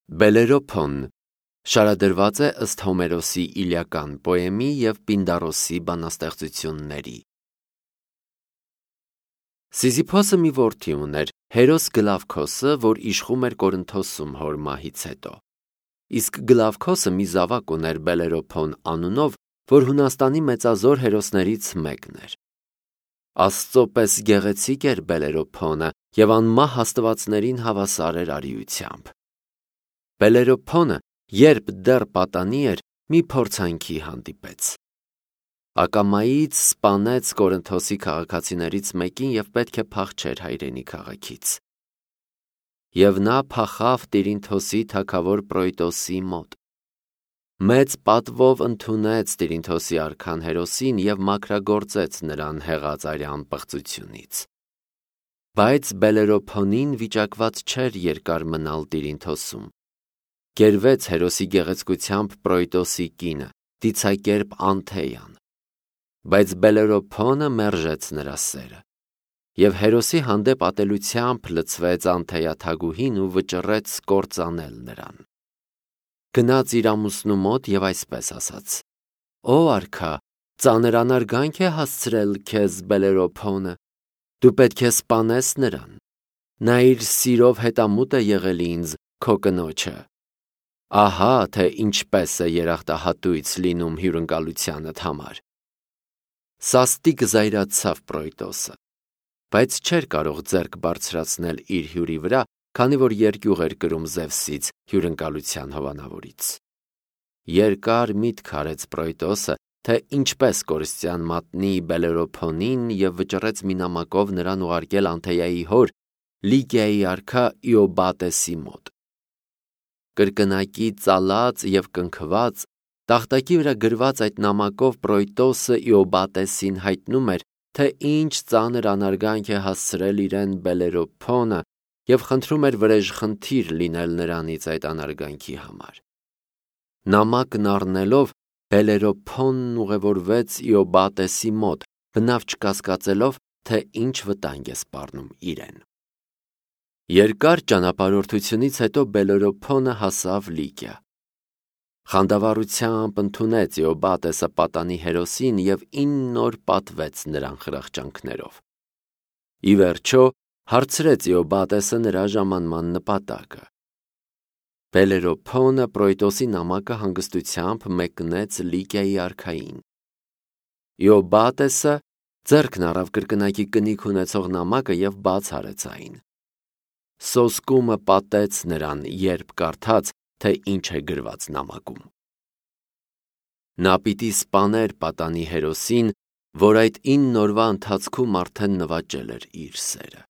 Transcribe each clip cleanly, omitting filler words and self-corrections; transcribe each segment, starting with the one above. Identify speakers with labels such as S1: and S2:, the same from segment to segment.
S1: Բելերոփոն շարադրված է ըստ Հոմերոսի Իլիական պոեմի և Պինդարոսի բանաստեղծությունների։ Սիզիփոսը մի որդի ուներ, Հերոս Գլավքոսը, որ իշխում էր Կորինթոսում հոր մահից հետո։ Իսկ Գլավքոսը մի զավակ ուներ Բելերոփոն անունով, որ Հունաստանի մեծազոր հերոսներից մեկն էր։ Աստծո պես գեղեցիկ էր Բելերոփոնը և անմահ աստվածներին հավասար էր արիությամբ։ Բելերոփոնը, երբ դեռ պատանի էր, մի փորձանքի հանդիպեց։ Ակամայից սպանեց Կորինթոսի քաղաքացիներից մեկին և պետք է փախչեր հայրենի քաղաքից։ Եվ նա փախավ Տիրինթոսի թագավոր Պրոյտոսի մոտ։ Մեծ պատվով ընդունեց Տիրինթոսի արքան Հերոսին և մաքրագործեց նրան հեղած արյան պղծությունից։ Բայց Բելերոփոնին վիճակված չէր երկար մնալ Տիրինթոսում։ Գերվեց Հերոսի գեղեցկությամբ Պրոյտոսի կինը, դիցակերպ Անթեյան։ Բայց Բելերոփոնը մերժեց նրա սերը։ Եվ Հերոսի հանդեպ ատելությամբ լցվեց Անթեյա թագուհին ու վճռեց կործանել նրան։ Գնաց իր ամուսնու մոտ և այսպես ասաց. «Ո արքա, ծանր անարգանք է հասցրել քեզ Բելերոփոնը, դու պետք է սպանես նրան։ Նա իր սիրով հետամուտ է եղել ինձ, քո կնոջը։ Ահա թե ինչպես է երախտահատույց լինում հյուրընկալությանդ համար»։ Սաստիկ զայրացավ Պրոյտոսը, բայց չէր կարող ձեռք բարձրացնել իր հյուրի վրա, քանի որ երկյուղ էր կրում Զևսից, հյուրընկալության հովանավորից։ Երկար միտք արեց Պրոյտոսը, թե ինչպես կորստյան մատնի Բելերոփոնին և վճռեց մի նամակով նրան ուղարկել Անթեյայի հոր Լիգիայի արքա Իոբատեսի մոտ։ Կրկնակի ծալած և կնքված, տախտակի վրա գրված այդ նամակով Պրոյտոսը Իոբատեսին հայտնում էր, թե ինչ ծանր անարգանք է հասցրել իրեն Բելերոփոնը և խնդրում էր վրեժխնդիր լինել նրանից այդ անարգանքի համար։ Նամակն առնելով, Բելերոփոնն ուղևորվեց Իոբատեսի մոտ, բնավ չկասկածելով, թե ինչ վտանգ է սպառնում իրեն։ Երկար ճանապարհորդությունից հետո Բելերոփոնը հասավ Լիգիա։ Խանդավառությամբ ընդունեց Իոբատեսը պատանի Հերոսին և 9 օր պատվեց նրան խրախճանքներով։ Ի վերջո հարցրեց Իոբատեսը նրա ժամանման նպատակը։ Բելերոփոնը Պրոյտոսի նամակը հանգստությամբ մեկնեց Լիգիայի արքային։ Իոբատեսը ձեռքն առավ կրկնակի կնիք ունեցող նամակը և բաց արեց այն։ Սոսկումը պատեց նրան, երբ կարդաց, թե ինչ է գրված նամակում։ Նա պիտի սպաներ պատանի Հերոսին, որ այդ 9 օրվա ընթացքում արդեն նվաճել էր իր սերը։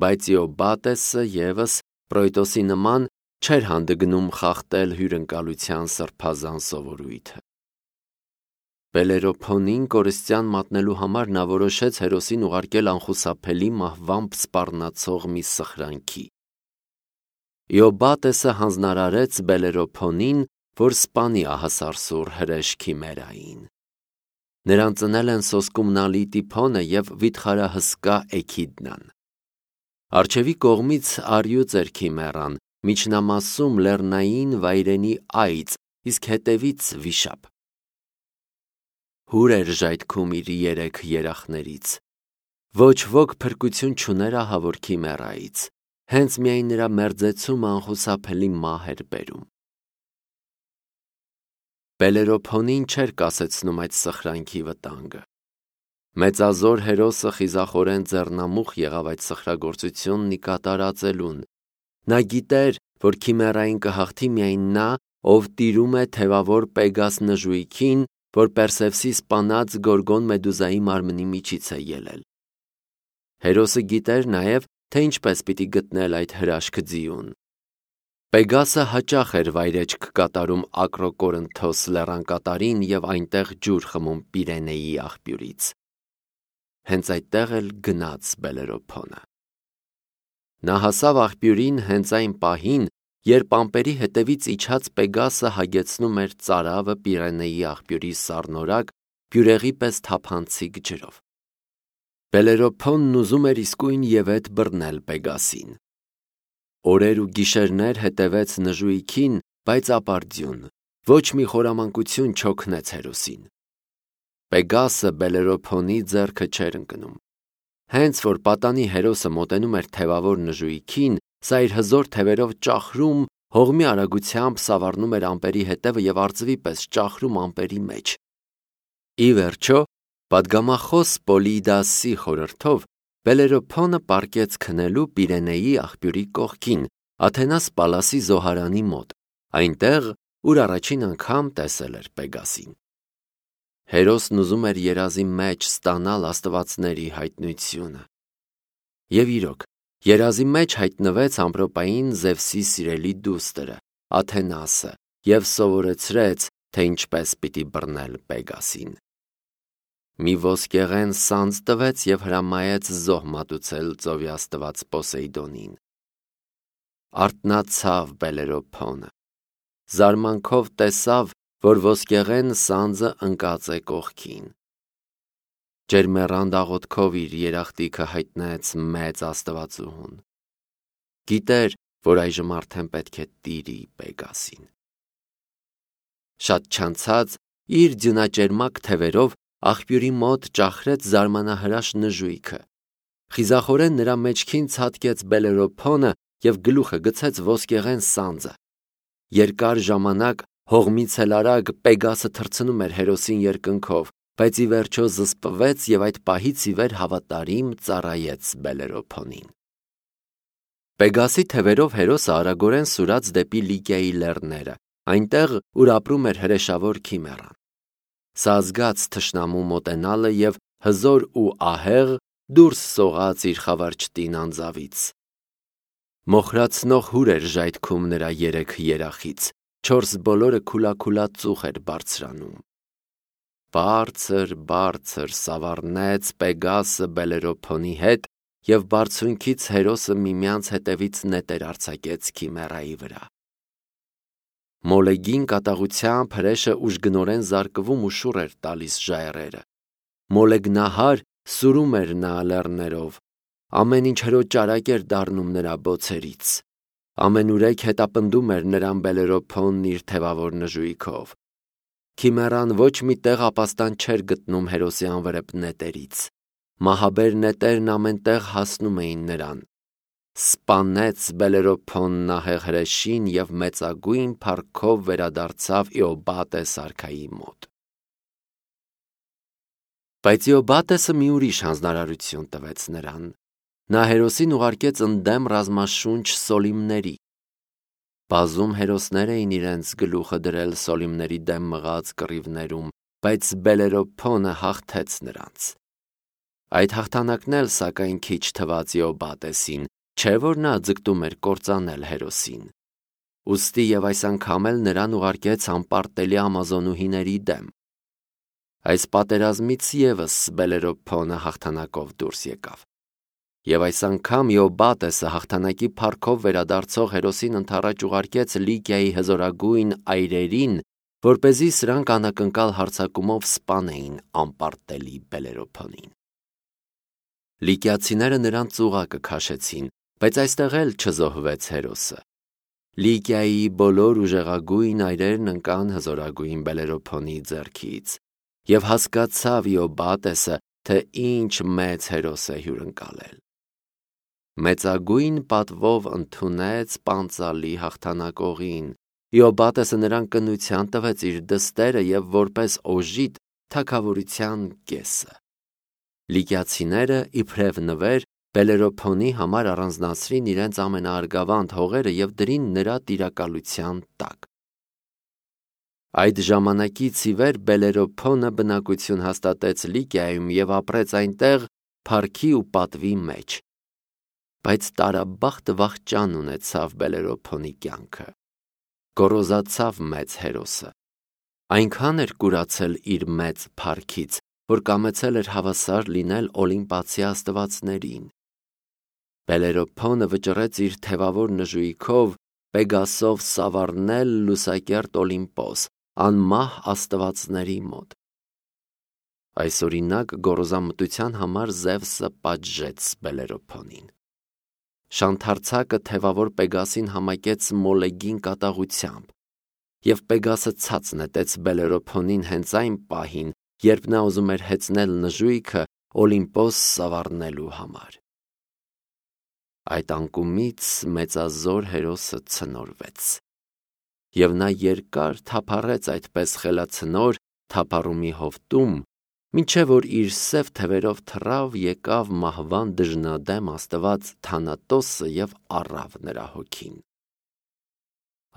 S1: Բայց Իոբատեսը ևս Պրոյտոսի նման չէր հանդգնում խախտել հյուրընկալության սրբազան սովորույթը։ Բելերոփոնին կորստյան մատնելու համար նա որոշեց Հերոսին ուղարկել անխուսափելի մահվամբ սպառնացող մի սխրանքի։ Իոբատեսը հանձնարարեց Բելերոփոնին, որ սպանի ահասարսուռ հրեշ Քիմերային։ Նրան ծնել են սոսկումնալի Տիփոնը և վիթխարահսկա Էքիդնան։ Առջևի կողմից առյուծ էր Քիմերան, միջնամասում լեռնային վայրենի այծ, իսկ հետևից վիշապ։ Հուր էր ժայթքում իր 3 երախներից։ Ոչ ոք փրկություն չուներ ահավոր Քիմերայից, հենց միայն նրա մերձեցումը անխուսափելի մահ էր բերում։ Բելերոփոնին չէր կասեցնում այդ սխրանքի վտանգը։ Մեծազոր Հերոսը խիզախորեն ձեռնամուխ եղավ այդ սխրագործությունն ի կատարածելուն։ Նա գիտեր, որ Քիմերային կհաղթի միայն նա, ով տիրում է թևավոր Պեգաս նժույգին, որ Պերսևսի սպանած Գորգոն Մեդուզայի մարմնի միջից է ելել։ Հերոսը գիտեր նաև, թե ինչպես պիտի գտնել այդ հրաշք ձիուն։ Պեգասը հաճախ էր վայրեջք կատարում Ակրոկորինթոս լեռանկատարին և այնտեղ ջուր խմում Պիրենեի աղբյուրից։ Հենց այդտեղ էլ գնաց Բելերոփոնը։ Նա հասավ աղբյուրին հենց այն պահին, երբ ամպերի հետևից իջած Պեգասը հագեցնում էր ծարավը Պիրենեի աղբյուրի սառնորակ, բյուրեղի պես թափանցիկ ջրով։ Բելերոփոնն ուզում էր իսկույն ևեթ բռնել Պեգասին։ Օրեր ու գիշերներ հետևեց նժույքին, բայց ապարդյուն, ոչ մի խորամանկություն չօգնեց հերոսին։ Պեգասը Բելերոփոնի ձեռքը չէր ընկնում։ Հենց որ պատանի հերոսը մոտենում էր թևավոր նժույքին, սա իր հզոր թևերով ճախրում, հողմի արագությամբ սավառնում էր ամպերի հետևը և արծվի պես ճախրում ամպերի մեջ։ Ի վերջո, պատգամախոս Պոլիդասի խորհրդով Բելերոփոնը պառկեց քնելու Պիրենեի աղբյուրի կողքին, Աթենաս Պալասի զոհարանի մոտ, այնտեղ, ուր առաջին անգամ տեսել էր Պեգասին։ Հերոսն ուզում էր երազի մեջ ստանալ աստվածների հայտնությունը։ Եվ իրոք, երազի մեջ հայտնվեց ամպրոպային Զևսի սիրելի դուստրը, Աթենասը, և սովորեցրեց, թե ինչպես պիտի բռնել Պեգասին։ Մի ոսկեղեն սանձ տվեց և հրամայեց զոհ մատուցել ծովի աստված Պոսեյդոնին։ Արթնացավ Բելերոփոնը, զարմանքով տեսավ, որ ոսկեղեն սանձը ընկած է կողքին։ Ջերմեռանդ աղոթքով իր երախտիքը հայտնեց մեծ աստվածուհուն։ Գիտեր, որ այժմ արդեն պետք է տիրի Պեգասին։ Շատ չանցած իր ձյունաճերմակ թևերով աղբյուրի մոտ ճախրեց զարմանահրաշ նժույքը։ Խիզախորեն նրա մեջքին ցատկեց Բելերոփոնը և գլուխը գցեց ոսկեղեն սանձը։ Երկար ժամանակ հողմից էլ արագ Պեգասը թռցնում էր հերոսին երկնքով, բայց ի վերջո զսպվեց և այդ պահից ի վեր հավատարիմ ծառայեց Բելերոփոնին։ Պեգասի թևերով հերոսը արագորեն սուրաց դեպի Լիկիայի լեռները, այնտեղ, ուր ապրում էր հրեշավոր Քիմեռան։ Սա զգաց թշնամու մոտենալը և հզոր ու ահեղ դուրս սողաց իր խավարչտին անձավից։ Մոխրացնող հուր էր ժայթքում նրա երեք երախից, 4 բոլորը քուլաքուլա ծուխ էր բարձրանում։ Բարձր սավառնեց Պեգասը Բելերոփոնի հետ և բարձունքից հերոսը միմյանց հետևից նետեր արձակեց Քիմեռայի վրա։ Մոլեգին կատաղությամբ հրեշը ուժգնորեն զարկվում ու շուռ էր տալիս ժայռերը։ Մոլեգնահար սուրում էր նա լեռներով, ամեն ինչ հրոճարակ էր դառնում նրա բոցերից։ Ամենուրեք հետապնդում էր նրան Բելերոփոնն իր թևավոր նժույքով։ Քիմեռան ոչ մի տեղ ապաստան չէր գտնում հերոսի անվրեպ նետերից։ Մահաբեր նետերն ամեն տեղ հասնում էին նրան։ Սպանեց Բելերոփոնն ահեղ հրեշին և մեծագույն փառքով վերադարձավ Իոբատես արքայի մոտ։ Բայց Իոբատեսը մի ուրիշ հանձնարարություն տվեց նրան։ Նա հերոսին ուղարկեց ընդդեմ ռազմաշունչ Սոլիմների։ Բազում հերոսներ էին իրենց գլուխը դրել Սոլիմների դեմ մղած կռիվներում, բայց Բելերոփոնը հաղթեց նրանց։ Այդ հաղթանակն էլ սակայն քիչ թվաց Իոբատեսին, չէ՞ որ նա ձգտում էր կործանել հերոսին։ Ուստի և այս անգամ էլ նրան ուղարկեց անպարտելի ամազոնուհիների դեմ։ Այս պատերազմից ևս Բելերոփոնը հաղթանակով դուրս եկավ։ Եվ այս անգամ Իոբատեսը հաղթանակի փառքով վերադարձող հերոսին ընդառաջ ուղարկեց Լիկիայի հզորագույն այրերին, որպեսզի սրանք անակնկալ հարձակումով սպանեին անպարտելի Բելերոփոնին։ Լիկիացիները նրան ծուղակը քաշեցին, բայց այստեղ էլ չզոհվեց հերոսը։ Լիկիայի բոլոր ուժեղագույն այրերն ընկան հզորագույն Բելերոփոնի ձեռքից, և հասկացավ Իոբատեսը, թե ինչ մեծ հերոս է հյուրընկալել։ Մեծագույն պատվով ընդունեց պանծալի հաղթանակողին։ Իոբատեսը նրան կնության տվեց իր դստերը և որպես օժիտ թագավորության կեսը։ Լիկիացիները իբրև նվեր Բելերոփոնի համար առանձնացրին իրենց ամենաարգավանդ հողերը և դրին նրա տիրակալության տակ։ Այդ ժամանակից ի վեր Բելերոփոնը բնակություն հաստատեց Լիկիայում և ապրեց այնտեղ փառքի ու պատվի մեջ։ Բայց տարաբախտ վախճան ունեցավ Բելերոփոնի կյանքը։ Գոռոզացավ մեծ հերոսը։ Այնքան էր կուրացել իր մեծ փառքից, որ կամեցել էր հավասար լինել օլիմպացի աստվածներին։ Բելերոփոնը վճռեց իր թևավոր նժույքով Պեգասով սավառնել լուսակերտ Օլիմպոս, անմահ աստվածների մոտ։ Այսօրինակ գոռոզամտության համար Զևսը պատժեց Բելերոփոնին։ Շանթարցակը թևավոր Պեգասին համակեց մոլեգին կատաղությամբ, և Պեգասը ցած նետեց Բելերոփոնին հենց այն պահին, երբ նա ուզում էր հեծնել նժույգը Օլիմպոս սավառնելու համար։ Այդ անկումից մեծազոր հերոսը ցնորվեց, և նա երկար թափառեց այդպես խելացնոր թափառումի հովտում, մինչև որ իր սև թևերով թռավ եկավ մահվան դժնադեմ աստված Թանատոսը և առավ նրա հոգին։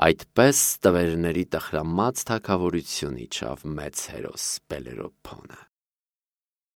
S1: Այդպես տվերների տխրամած թագավորություն իջավ մեծ հերոս Բելերոփոնը։